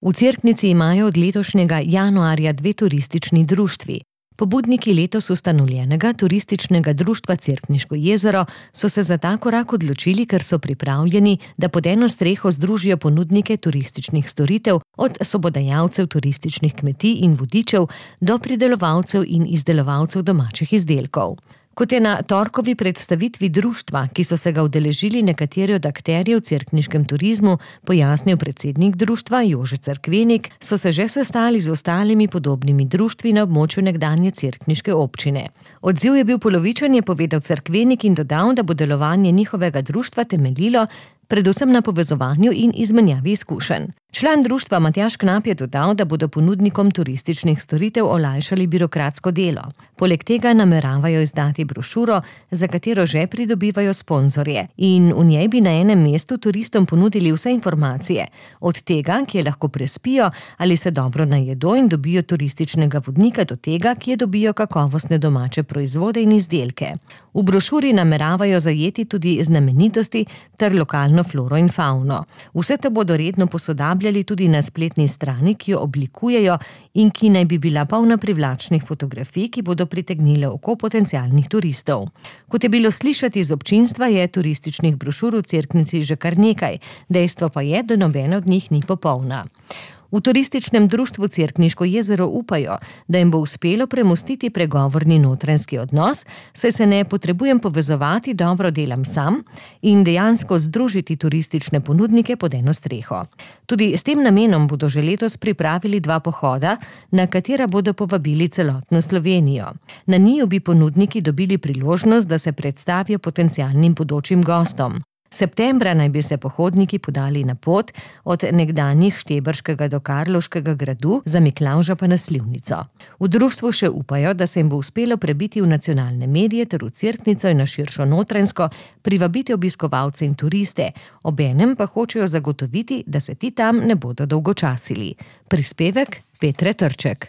V Cerknici imajo od letošnjega januarja 2 turistični društvi. Pobudniki letos ustanovljenega turističnega društva Cerkniško jezero so se za ta korak odločili, ker so pripravljeni, da pod eno streho združijo ponudnike turističnih storitev, od sobodajalcev turističnih kmetij in vodičev do pridelovalcev in izdelovalcev domačih izdelkov. Kot je na torkovi predstavitvi društva, ki so se ga udeležili nekateri od akterjev v cerkniškem turizmu, pojasnil predsednik društva Jože Cerkvenik, so se že sestali z ostalimi podobnimi društvi na območju nekdanje cerkniške občine. Odziv je bil polovičen, je povedal Cerkvenik in dodal, da bo delovanje njihovega društva temeljilo predvsem na povezovanju in izmenjavi izkušenj. Član društva Matjaž Knap je dodal, da bodo ponudnikom turističnih storitev olajšali birokratsko delo. Poleg tega nameravajo izdati brošuro, za katero že pridobivajo sponzorje, in v njej bi na enem mestu turistom ponudili vse informacije, od tega, kje lahko prespijo ali se dobro najedo in dobijo turističnega vodnika, do tega, kje dobijo kakovostne domače proizvode in izdelke. V brošuri nameravajo zajeti tudi znamenitosti ter lokalno floro in fauno. Vse to bodo redno posodabljali tudi na spletni strani, ki jo oblikujejo in ki naj bi bila polna privlačnih fotografij, ki bodo pritegnile oko potencialnih turistov. Kot je bilo slišati iz občinstva, je turističnih brošur v Cerknici že kar nekaj, dejstvo pa je, da nobena od njih ni popolna. V turističnem društvu Cerkniško jezero upajo, da jim bo uspelo premostiti pregovorni notranjski odnos, saj se ne potrebujem povezovati, dobro delam sam, in dejansko združiti turistične ponudnike pod eno streho. Tudi s tem namenom bodo že letos pripravili 2 pohoda, na katera bodo povabili celotno Slovenijo. Na njiju bi ponudniki dobili priložnost, da se predstavijo potencialnim bodočim gostom. Septembra naj bi se pohodniki podali na pot od nekdanjih Štebrškega do Karlovškega gradu, za Miklavža pa na Slivnico. V društvu še upajo, da se jim bo uspelo prebiti v nacionalne medije ter v Cerknico in na širšo Notranjsko, privabiti obiskovalce in turiste, obenem pa hočejo zagotoviti, da se ti tam ne bodo dolgočasili. Prispevek Petre Trček.